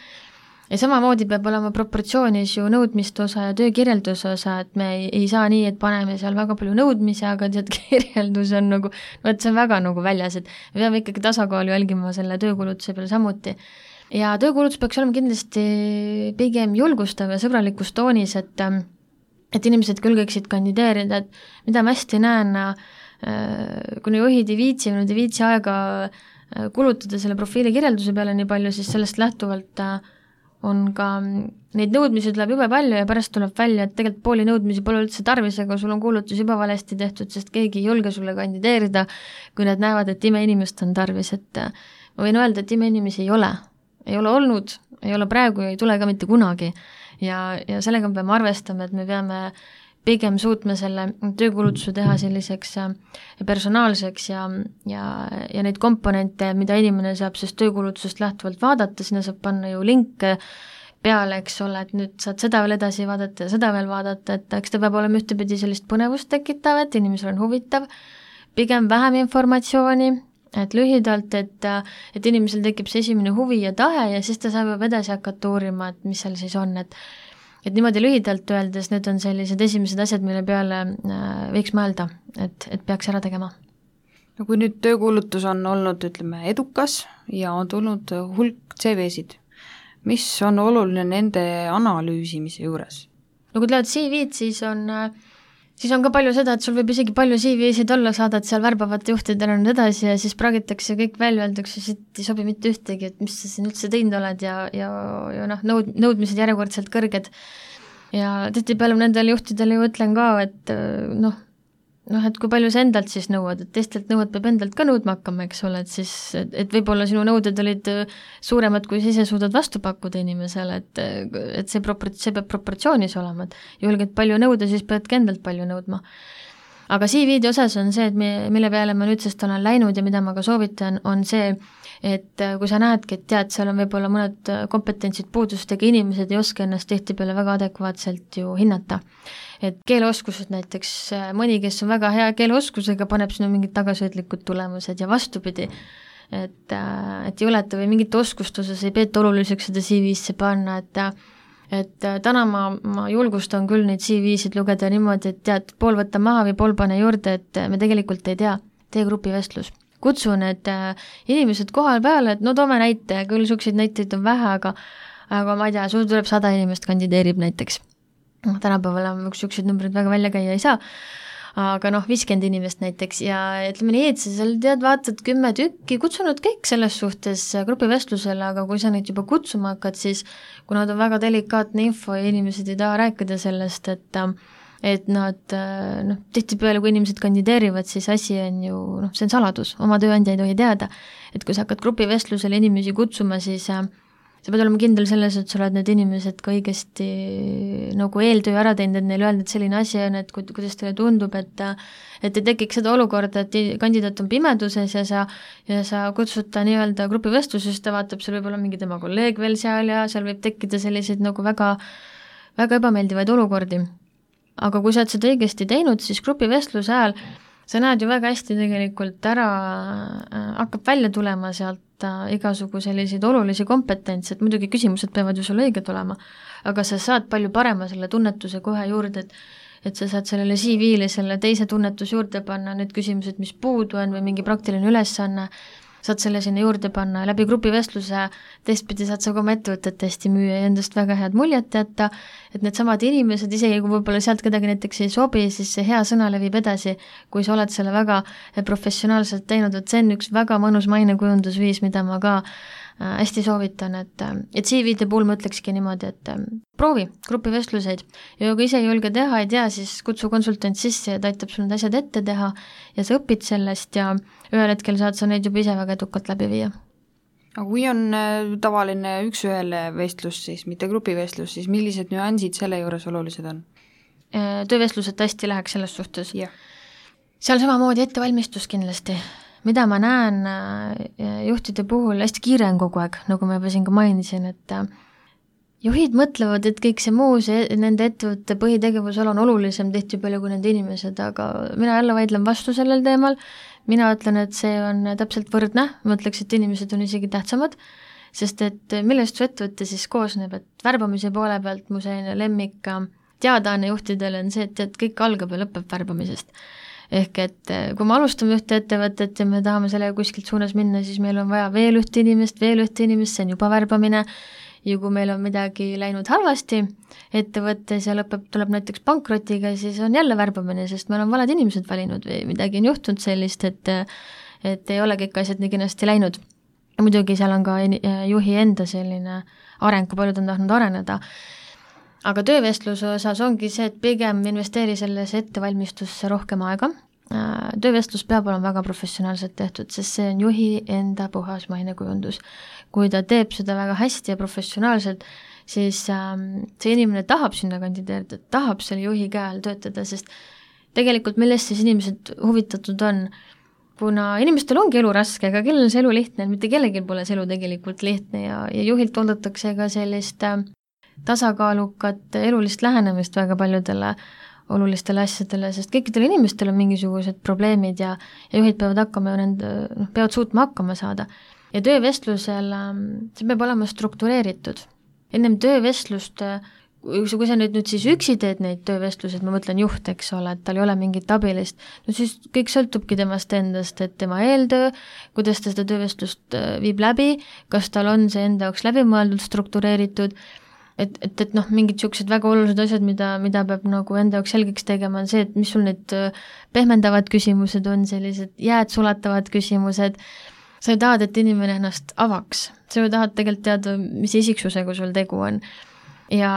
Ja samamoodi peab olema proportsioonis ju nõudmiste osa ja töökirjelduse osa, et me ei, ei saa nii, et paneme seal väga palju nõudmisi, aga tead, kirjeldus on nagu, no et see on väga nagu väljas, et me peame ikkagi tasakaalu jälgima selle töökulutuse peale samuti. Ja töökulutus peaks olema kindlasti pigem julgustav ja sõbralikus toonis, et, et inimesed külgeksid kandideerida, et mida ma hästi näen, kuna juhid ei viitsi, nüüd ei viitsi aega kulutada selle profiili kirjelduse peale nii palju, siis sellest lähtuvalt on ka, neid nõudmisi tuleb jube palju ja pärast tuleb välja, et tegelikult pooli nõudmisi pole üldse tarvis, aga sul on kuulutus juba valesti tehtud, sest keegi ei julge sulle kandideerida, kui nad näevad, et imeinimest on tarvis, et ma võin öelda, et imeinimesi ei ole, ei ole olnud, ei ole praegu ja ei tule ka mitte kunagi ja, ja sellega me peame arvestama, et me peame pigem suutme selle töökulutuse teha selliseks personaalseks ja, ja, ja neid komponente, mida inimene saab siis töökulutusest lähtuvalt vaadata, sinna saab panna ju linke peale, eks ole, et nüüd saad seda veel edasi vaadata ja seda veel vaadata, et eks ta peab olema ühtepidi sellist põnevust tekitav, et inimesel on huvitav, pigem vähem informatsiooni, et lühidalt, et, et inimesel tekib see esimene huvi ja tahe ja siis ta saab juba edasi hakata uurima, et mis seal siis on, et et niimoodi lühidalt öeldes, need on sellised esimesed asjad, mille peale võiks mõelda, et, et peaks ära tegema.
No kui nüüd töökuulutus on olnud, ütleme, edukas ja on tulnud hulk C V-sid, mis on oluline nende analüüsimise juures?
No kui tulevad C V-d, siis on, siis on ka palju seda, et sul võib isegi palju C V-sid olla, saadad seal värbavate juhtidele nüüd edasi ja siis pragitakse kõik välja, öeldakse, siit ei sobi mitte ühtegi, et mis sa siin üldse teinud oled ja, ja, ja noh, nõud, nõudmised järjekordselt kõrged. Ja tihtipeale nendele juhtidele ju ütlen ka, et noh, noh, et kui palju sa endalt siis nõuad, et teistelt nõuad peab endalt ka nõudma hakkama, eks ole, et siis, et, et võib-olla sinu nõuded olid suuremad, kui sa ise suudad vastu pakkuda inimesele, et, et see, propor-, see peab proportsioonis olema, et julged palju nõuda, siis peadki endalt palju nõudma. Aga C V-de osas on see, et me, mille peale ma nüüdsest olen läinud ja mida ma ka soovitan, on see, et kui sa näedki, et tead, seal on võib-olla mõned kompetentsid puudustega, inimesed ei oska ennast tihtipeale väga adekvaatselt ju hinnata. Et keeleoskused näiteks, mõni, kes on väga hea keeleoskusega, paneb sinu mingid tagasihoidlikud tulemused ja vastupidi, et, et ei oleta või mingit oskust osas ei peeta oluliseks seda C V-sse panna, et et täna ma, ma julgustan küll neid C V-sid lugeda niimoodi, et tead, pool võtta maha või pool pane juurde, et me tegelikult ei tea, tee grupivestlus. Kutsun, et inimesed kohal peale, et no toome näite, küll sukseid näiteid on vähe, aga aga ma ei tea, sul tuleb sada inimest kandideerib näiteks. Tänapäeval on üks sukseid numbrid väga välja käia ei saa, aga noh, viiskümmend inimest näiteks ja ütleme nii, et sa seal tead, vaatad kümme tükki, kutsunud kõik selles suhtes grupivestlusele, aga kui sa neid juba kutsuma hakkad, siis kuna ta on väga delikaatne info ja inimesed ei taha rääkida sellest, et et nad noh, tihtipeale, kui inimesed kandideerivad, siis asi on ju, noh, see on saladus, oma tööandja ei tohi teada, et kui sa hakkad grupivestlusele inimesi kutsuma, siis äh, sa pead olema kindel selles, et sa oled need inimesed ka õigesti nagu eeltöö ära teinud, et neile öelda, et selline asi on, et kuidas teile tundub, et et ei tekiks seda olukorda, et kandidaat on pimeduses ja sa, ja sa kutsud ta nii-öelda grupivestluses, ta vaatab, seal võib olla mingi tema kolleeg veel seal ja seal võib tekkida selliseid nagu väga, väga ebameeldivaid olukordi. Aga kui sa oled seda õigesti teinud, siis grupivestluse ajal sa näed ju väga hästi tegelikult ära, hakkab välja tulema sealt igasugu selliseid olulisi kompetentse, et muidugi küsimused peavad ju sulle õiged olema, aga sa saad palju parema selle tunnetuse kohe juurde, et et sa saad sellele C V-le selle teise tunnetus juurde panna, need küsimused, mis puudu on või mingi praktiline ülesanne, saad selle sinna juurde panna ja läbi grupivestluse teistpidi saad sa ka oma ettevõtet hästi müüa ja endast väga head muljet jätta, et need samad inimesed, isegi kui võib-olla sealt kedagi näiteks ei sobi, siis see hea sõna levib edasi, kui sa oled selle väga professionaalselt teinud, et see on üks väga mõnus mainekujundusviis, mida ma ka hästi soovitan, et, et C V-de puhul ma ütlekski niimoodi, et proovi grupivestluseid ja kui ise ei julge teha, ei tea, siis kutsu konsultant sisse ja ta aitab sul need asjad ette teha ja sa õpid sellest ja ühel hetkel saad sa neid juba ise väga edukalt läbi viia.
Aga kui on tavaline üks-ühele vestlus, siis mitte grupivestlus, siis millised nüansid selle juures olulised on?
Töövestlused hästi läheks selles suhtes.
Yeah.
Seal samamoodi ettevalmistus kindlasti. Mida ma näen juhtide puhul, hästi kiire on kogu aeg, nagu ma juba siin ka mainisin, et juhid mõtlevad, et kõik see muu, see nende ettevõtte põhitegevusel on olulisem tihti palju kui nende inimesed, aga mina jälle vaidlen vastu sellel teemal. Mina ütlen, et see on täpselt võrdne, ma ütleks, et inimesed on isegi tähtsamad, sest et millest su ettevõtte siis koosneb, et värbamise poole pealt mu selline lemmik teadaanne juhtidele on see, et, et kõik algab ja lõpeb värbamisest. Ehk et kui me alustame ühte ettevõtet ja me tahame sellega kuskilt suunas minna, siis meil on vaja veel ühte inimest, veel ühte inimest, see on juba värbamine ja kui meil on midagi läinud halvasti ettevõttes ja lõpeb, tuleb näiteks pankrotiga, siis on jälle värbamine, sest meil on valed inimesed valinud või midagi on juhtunud sellist, et, et ei ole kõik asjad nii kenasti läinud. Ja muidugi seal on ka juhi enda selline areng, kui paljud on tahtnud areneda. Aga töövestluse osas ongi see, et pigem investeeri sellesse ettevalmistusse rohkem aega. Töövestlus peab olema väga professionaalselt tehtud, sest see on juhi enda puhas mainekujundus. Kui ta teeb seda väga hästi ja professionaalselt, siis see inimene tahab sinna kandideerida, tahab selle juhi käe all töötada, sest tegelikult millest siis inimesed huvitatud on, kuna inimestel ongi elu raske, aga kellel see elu lihtne, mitte kellelgi pole see elu tegelikult lihtne ja, ja juhilt oodatakse ka sellist tasakaalukat elulist lähenemist väga paljudele olulistele asjadele, sest kõikidel inimestel on mingisugused probleemid ja, ja juhid peavad hakkama ja nende, noh, peavad suutma hakkama saada. Ja töövestlusel see peab olema struktureeritud. Ennem töövestlust, kui sa nüüd, nüüd siis üksi teed neid töövestlused, ma mõtlen juht, eks ole, et tal ei ole mingit abilist, no siis kõik sõltubki temast endast, et tema eeltöö, kuidas ta seda töövestlust viib läbi, kas tal on see enda jaoks läbimõeldud, struktureeritud, et, et, et noh, mingid niisugused väga olulised asjad, mida, mida peab nagu enda jaoks selgeks tegema, on see, et mis sul need pehmendavad küsimused on, sellised jääd sulatavad küsimused, sa ju tahad, et inimene ennast avaks, sa ju tahad tegelikult teada, mis isiksusega sul tegu on. Ja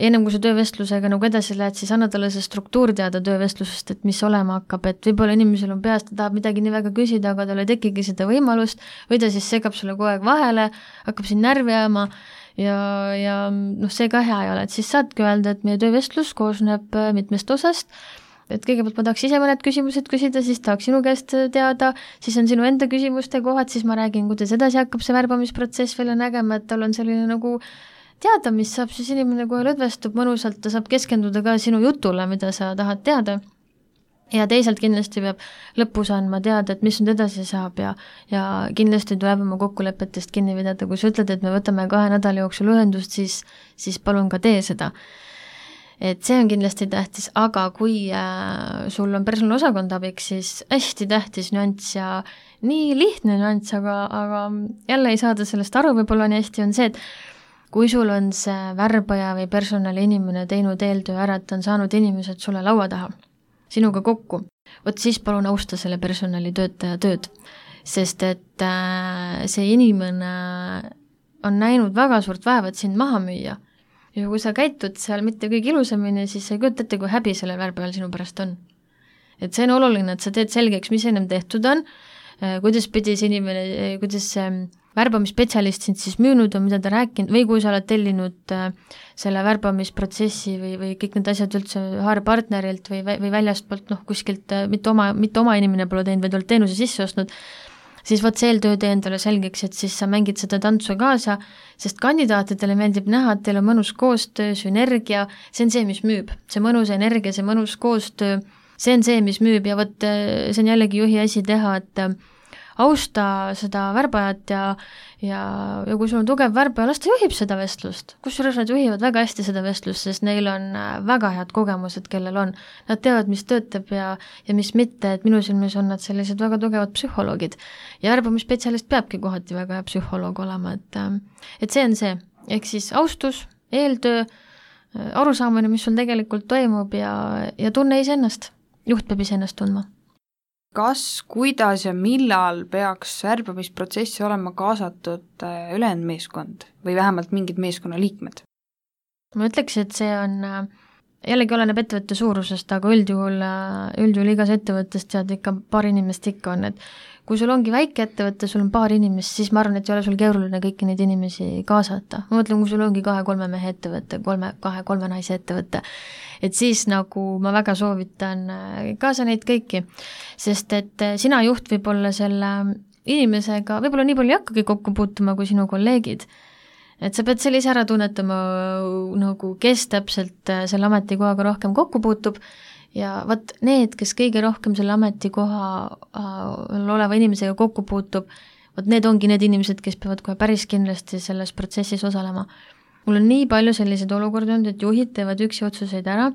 ennem kui sa töövestlusega nagu edasi lähed, siis anna talle see struktuur teada töövestlusest, et mis olema hakkab, et võib-olla inimesel on peas, ta tahab midagi nii väga küsida, aga tal ei tekigi seda võimalust, või ta siis segab sulle kogu aeg vahele, hakkab siin närvi ajama ja, ja noh, see ka hea ei ole, et siis saadki öelda, et meie töövestlus koosneb mitmest osast, et kõigepealt ma tahaks ise mõned küsimused küsida, siis tahaks sinu käest teada, siis on sinu enda küsimuste kohad, siis ma räägin, kuidas edasi hakkab see värbamisprotsess välja nägema, et tal on selline nagu teada, mis saab siis inimene kohe lõdvestub mõnusalt, ta saab keskenduda ka sinu jutule, mida sa tahad teada. Ja teisalt kindlasti peab lõpus andma teada, et mis nüüd edasi saab ja, ja kindlasti tuleb oma kokkulepetest kinni pidada, kui sa ütled, et me võtame kahe nädala jooksul ühendust, siis, siis palun ka tee seda. Et see on kindlasti tähtis, aga kui äh, sul on personaalosakond abiks, siis hästi tähtis nüanss ja nii lihtne nüanss, aga, aga jälle ei saada sellest aru, võib-olla nii hästi on see, et kui sul on see värbaja või personali inimene teinud eeltöö ära, et on saanud inimesed sulle laua taha, sinuga kokku, vot siis palun austa selle personali töötaja tööd, sest et äh, see inimene on näinud väga suurt vaeva, et sind maha müüa. ja kui sa käitud seal mitte kõige ilusamini, siis sa ei kujuta ette, kui häbi sellel värbajal sinu pärast on. Et see on oluline, et sa teed selgeks, mis ennem tehtud on, kuidas pidi see inimene, kuidas see värbamisspetsialist sind siis müünud on, mida ta rääkinud, või kui sa oled tellinud selle värbamisprotsessi või, või kõik need asjad üldse haarepartnerilt või, või väljastpoolt, noh kuskilt, mitte oma, mitte oma inimene pole teinud, vaid oled teenuse sisse ostnud, siis võt see eeltöö tee endale selgeks, et siis sa mängid seda tantsu kaasa, sest kandidaatidele meeldib näha, et teil on mõnus koostöö, sünergia, see on see, mis müüb. See mõnus energia, see mõnus koostöö, see on see, mis müüb ja võt see on jällegi juhi asi teha, et austa seda värbajat ja, ja, ja kui sul on tugev värbaja, las ta juhib seda vestlust. Kusjuures nad juhivad väga hästi seda vestlust, sest neil on väga head kogemused, kellel on. Nad teavad, mis töötab ja, ja mis mitte, et minu silmis on nad sellised väga tugevad psühholoogid. Ja värbamisspetsialist peabki kohati väga hea psühholoog olema, et, et see on see. Ehk siis austus, eeltöö, arusaamine, mis sul tegelikult toimub ja, ja tunne iseennast. Juht peab iseennast tundma.
Kas, kuidas ja millal peaks värbamisprotsessi olema kaasatud ülejäänud meeskond või vähemalt mingid meeskonna liikmed?
Ma ütleks, et see on, jällegi oleneb ettevõtte suurusest, aga üldjuhul, üldjuhul igas ettevõttest tead ikka paar inimest ikka on, et kui sul ongi väike ettevõtte, sul on paar inimest, siis ma arvan, et ei ole sul keeruline kõiki neid inimesi kaasata. Ma mõtlen, kui sul ongi kahe-kolme mehe ettevõtte, kolme, kahe-kolme naise ettevõtte, et siis nagu ma väga soovitan kaasa neid kõiki, sest et sina juht võib olla selle inimesega, võib-olla nii palju ei hakkagi kokku puutuma kui sinu kolleegid, et sa pead sellise ära tunnetama, nagu kes täpselt selle ametikohaga rohkem kokku puutub ja vaat need, kes kõige rohkem selle ametikoha oleva inimesega kokku puutub, vaat need ongi need inimesed, kes peavad kohe päris kindlasti selles protsessis osalema. Mul on nii palju selliseid olukordi olnud, et juhid teevad üksi otsuseid ära,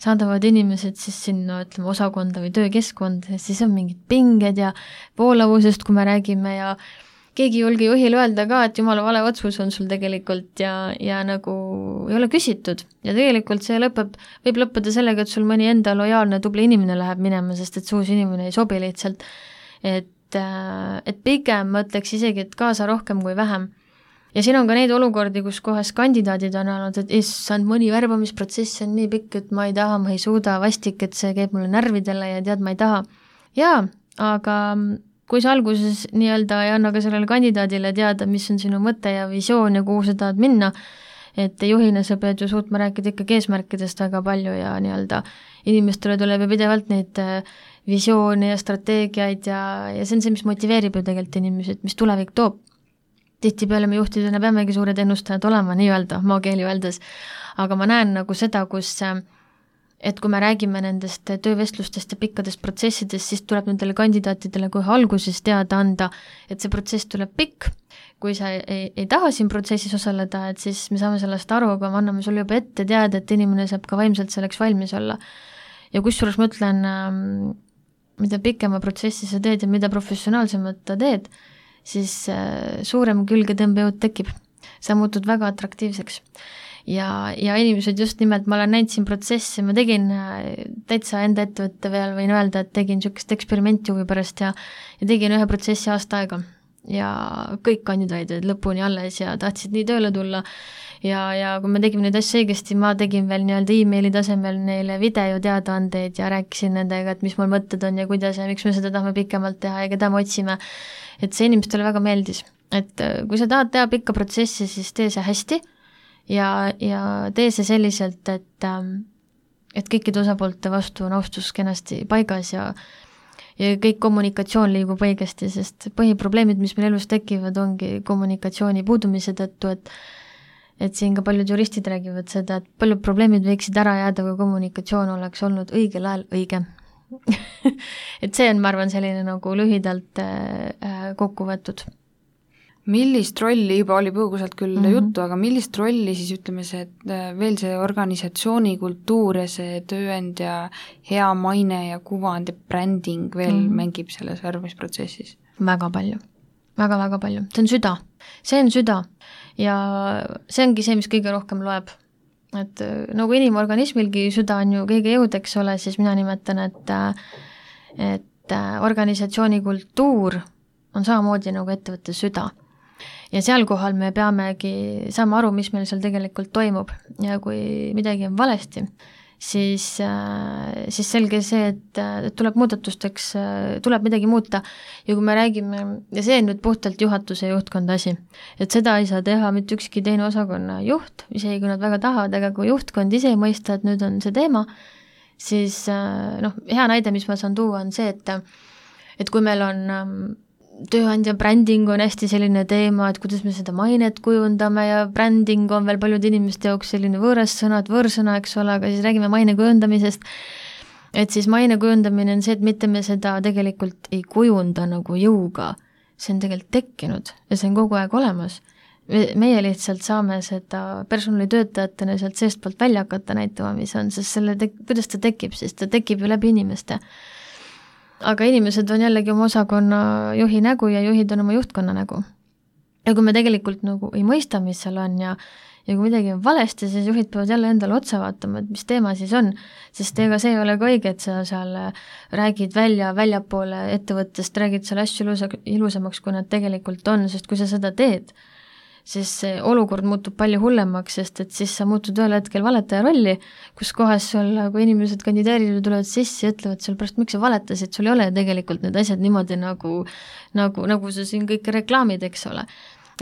saadavad inimesed siis sinna, ütleme, osakonda või töökeskkonda, siis on mingid pinged ja voolavusest, kui me räägime ja keegi ei julge juhile öelda ka, et jumala vale otsus on sul tegelikult ja, ja nagu ei ole küsitud. Ja tegelikult see lõpeb, võib lõppeda sellega, et sul mõni enda lojaalne tubli inimene läheb minema, sest et see uus inimene ei sobi lihtsalt. Et, et pigem ma ütleks isegi, et kaasa rohkem kui vähem. Ja siin on ka neid olukordi, kus kohas kandidaadid on olnud, et issand, mõni värbamisprotsess on nii pikk, et ma ei taha, ma ei suuda, vastik, et see käib mulle närvidele ja tead, ma ei taha. Jaa, aga kui sa alguses nii-öelda ei anna ka sellele kandidaadile teada, mis on sinu mõte ja visioon ja kuhu sa tahad minna, et juhina sa pead ju suutma rääkida ikkagi eesmärkidest väga palju ja nii-öelda inimestele tuleb ju pidevalt neid visioone ja strateegiaid ja, ja see on see, mis motiveerib ju tegelikult inimesi, et mis tulevik toob. Tihtipeale me juhtidena peamegi suured ennustajad olema, nii-öelda, maakeeli öeldes, aga ma näen nagu seda, kus et kui me räägime nendest töövestlustest ja pikkadest protsessidest, siis tuleb nendele kandidaatidele kohe alguses teada anda, et see protsess tuleb pikk. Kui sa ei, ei taha siin protsessis osaleda, et siis me saame sellest aru, aga me anname sulle juba ette teada, et inimene saab ka vaimselt selleks valmis olla. Ja kusjuures ma ütlen, mida pikema protsessi sa teed ja mida professionaalsemat ta teed, siis suurem külgetõmbejõud tekib. Sa muutud väga atraktiivseks. Ja, ja inimesed just nimelt, ma olen näinud siin protsessi, ma tegin täitsa enda ettevõtte veel, võin öelda, et tegin niisugust eksperimenti huvi pärast ja, ja tegin ühe protsessi aasta aega. Ja kõik kandidaadid lõpuni alles ja tahtsid nii tööle tulla. Ja, ja kui me tegime neid asju õigesti, ma tegin veel nii-öelda e-maili tasemel neile video teadaandeid ja rääkisin nendega, et mis mul mõtted on ja kuidas ja miks me seda tahame pikemalt teha ja keda me otsime. Et see inimestele väga meeldis. Et kui sa tahad teha pikka protsessi, siis tee see hästi ja, ja tee see selliselt, et, et kõikide osapoolte vastu on austus kenasti paigas ja, ja kõik kommunikatsioon liigub õigesti, sest põhiprobleemid, mis meil elus tekivad, ongi kommunikatsiooni puudumise tõttu, et et siin ka paljud juristid räägivad seda, et paljud probleemid võiksid ära jääda, kui kommunikatsioon oleks olnud õigel ajal õige. Et see on, ma arvan, selline nagu lühidalt äh, kokku võetud.
Millist rolli, juba oli põgusalt küll mm-hmm. juttu, aga millist rolli siis ütleme see, et veel see organisatsiooni kultuur ja see tööandja hea maine ja kuvand ja bränding veel mm-hmm. mängib selles värbamisprotsessis?
Väga palju, väga-väga palju. See on süda, see on süda ja see ongi see, mis kõige rohkem loeb. Et nagu inimorganismilgi süda on ju kõige jõud, eks ole, siis mina nimetan, et, et organisatsiooni kultuur on samamoodi nagu ettevõtte süda. ja seal kohal me peamegi saama aru, mis meil seal tegelikult toimub ja kui midagi on valesti, siis, siis selge see, et tuleb muudatusteks, tuleb midagi muuta ja kui me räägime, ja see on nüüd puhtalt juhatuse juhtkonda asi, et seda ei saa teha mitte ükski teine osakonna juht, isegi kui nad väga tahavad, aga kui juhtkond ise ei mõista, et nüüd on see teema, siis noh, hea näide, mis ma saan tuua, on see, et et kui meil on tööandja bränding on hästi selline teema, et kuidas me seda mainet kujundame ja bränding on veel paljude inimeste jaoks selline võõras sõna, et võõrsõna, eks ole, aga siis räägime maine kujundamisest, et siis maine kujundamine on see, et mitte me seda tegelikult ei kujunda nagu jõuga, see on tegelikult tekkinud ja see on kogu aeg olemas. Meie lihtsalt saame seda personalitöötajatena sealt seestpoolt välja hakata näitama, mis on, sest selle te-, kuidas ta tekib, sest ta tekib ju läbi inimeste. Aga inimesed on jällegi oma osakonna juhi nägu ja juhid on oma juhtkonna nägu. Ja kui me tegelikult nagu ei mõista, mis seal on ja, ja kui midagi on valesti, siis juhid peavad jälle endale otsa vaatama, et mis teema siis on, sest ega see ei ole ka õige, et sa seal räägid välja, väljapoole ettevõttest, räägid seal asju ilusa, ilusamaks, kui nad tegelikult on, sest kui sa seda teed, siis see olukord muutub palju hullemaks, sest et siis sa muutud ühel hetkel valetaja rolli, kus kohas sul, kui inimesed kandideerivad, tulevad sisse ja ütlevad sul pärast, miks sa valetasid, sul ei ole tegelikult need asjad niimoodi nagu, nagu, nagu sa siin kõik reklaamid, eks ole.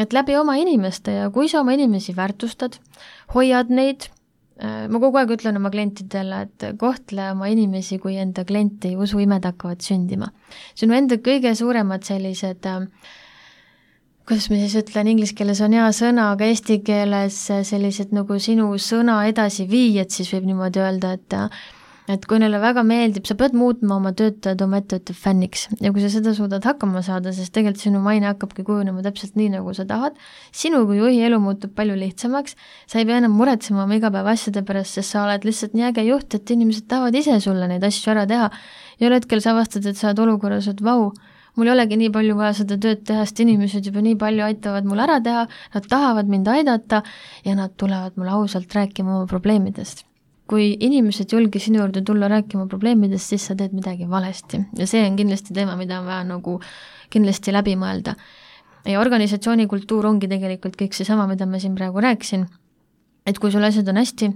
Et läbi oma inimeste ja kui sa oma inimesi väärtustad, hoiad neid, ma kogu aeg ütlen oma klientidele, et kohtle oma inimesi, kui enda klienti usu imed hakkavad sündima. Sinu enda kõige suuremad sellised kuidas ma siis ütlen, inglise keeles on hea sõna, aga eesti keeles sellised nagu sinu sõna edasi viijad, siis võib niimoodi öelda, et et kui neile väga meeldib, sa pead muutma oma töötajad oma ettevõtte fänniks ja kui sa seda suudad hakkama saada, siis tegelikult sinu maine hakkabki kujunema täpselt nii, nagu sa tahad, sinu kui juhi elu muutub palju lihtsamaks, sa ei pea enam muretsema oma igapäeva asjade pärast, sest sa oled lihtsalt nii äge juht, et inimesed tahavad ise sulle neid asju ära teha ja ühel hetkel sa avastad, et sa oled olukorras, et vau, mul ei olegi nii palju vaja seda tööd teha, sest inimesed juba nii palju aitavad mul ära teha, nad tahavad mind aidata ja nad tulevad mulle ausalt rääkima oma probleemidest. Kui inimesed julge sinu juurde tulla rääkima probleemidest, siis sa teed midagi valesti ja see on kindlasti teema, mida on vaja nagu kindlasti läbi mõelda. Ja organisatsiooni kultuur ongi tegelikult kõik see sama, mida ma siin praegu rääkisin, et kui sul asjad on hästi,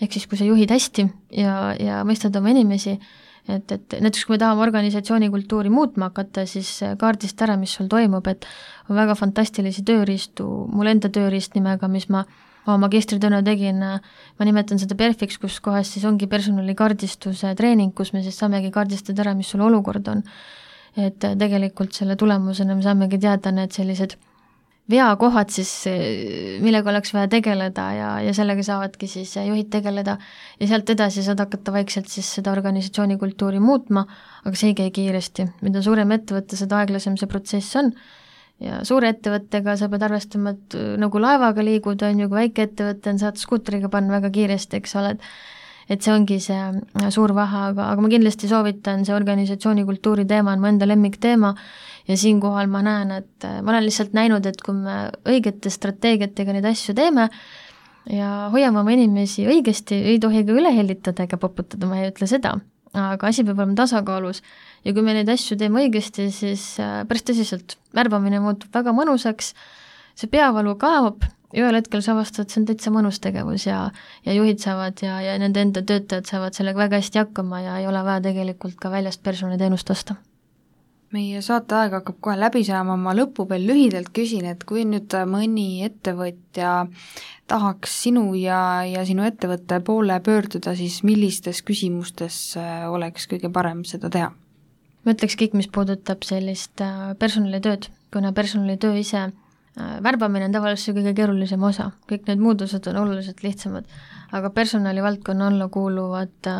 ehk siis kui sa juhid hästi ja, ja mõistad oma inimesi, et, et näiteks kui me tahame organisatsiooni kultuuri muutma hakata, siis kaardist ära, mis sul toimub, et on väga fantastilisi tööriistu, mul enda tööriist nimega, mis ma oma magistritööna tegin, ma nimetan seda Perfiks, kus kohas siis ongi personalikaardistuse treening, kus me siis saamegi kaardistada ära, mis sul olukord on. Et tegelikult selle tulemusena me saamegi teada need sellised veakohad siis, millega oleks vaja tegeleda ja, ja sellega saavadki siis juhid tegeleda ja sealt edasi saad hakata vaikselt siis seda organisatsiooni kultuuri muutma, aga see ei käi kiiresti. Mida suurem ettevõtte, seda aeglasem see protsess on ja suure ettevõttega sa pead arvestama, et nagu laevaga liigud on ju, kui väike ettevõtte on, saad skuutriga panna väga kiiresti, eks ole, et see ongi see suur vahe, aga, aga ma kindlasti soovitan, see organisatsiooni kultuuri teema on mu enda lemmikteema ja siinkohal ma näen, et ma olen lihtsalt näinud, et kui me õigete strateegiatega neid asju teeme ja hoiame oma inimesi õigesti, ei tohi ka üle hellitada ega poputada, ma ei ütle seda, aga asi peab olema tasakaalus ja kui me neid asju teeme õigesti, siis päris tõsiselt värbamine muutub väga mõnusaks, see peavalu kaob ja ühel hetkel sa avastad, see on täitsa mõnus tegevus ja, ja juhid saavad ja, ja nende enda töötajad saavad sellega väga hästi hakkama ja ei ole vaja tegelikult ka väljast personaliteenust osta.
Meie saateaeg hakkab kohe läbi saama, ma lõppu veel lühidalt küsin, et kui nüüd mõni ettevõtja tahaks sinu ja, ja sinu ettevõtte poole pöörduda, siis millistes küsimustes oleks kõige parem seda teha?
Ma ütleks kõik, mis puudutab sellist personalitööd, kuna personalitöö ise värbamine on tavaliselt kõige keerulisem osa, kõik need muud osad on oluliselt lihtsamad, aga personalivaldkonna alla kuuluvad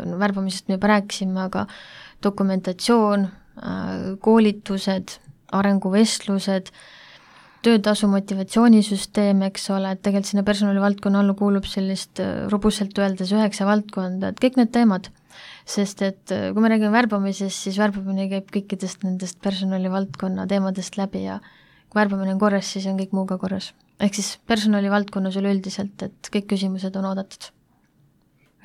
no, värbamisest me juba rääkisime, aga dokumentatsioon, koolitused, arenguvestlused, töötasu motivatsioonisüsteem, eks ole, et tegelikult sinna personalivaldkonna alla kuulub sellist robustselt öeldes üheksa valdkonda, et kõik need teemad, sest et kui me räägime värbamisest, siis värbamine käib kõikidest nendest personalivaldkonna teemadest läbi ja kui värbamine on korras, siis on kõik muuga korras. Ehk siis personalivaldkonnas üleüldiselt, et kõik küsimused on oodatud.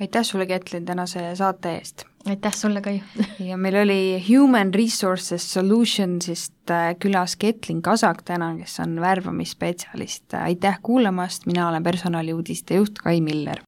Aitäh sulle, Ketlin, tänase saate eest!
aitäh sulle, Kai!
ja meil oli Human Resources Solutionsist külas Ketlin Kasak täna, kes on värbamisspetsialist. aitäh kuulamast, mina olen personaliuudiste juht Kai Miller.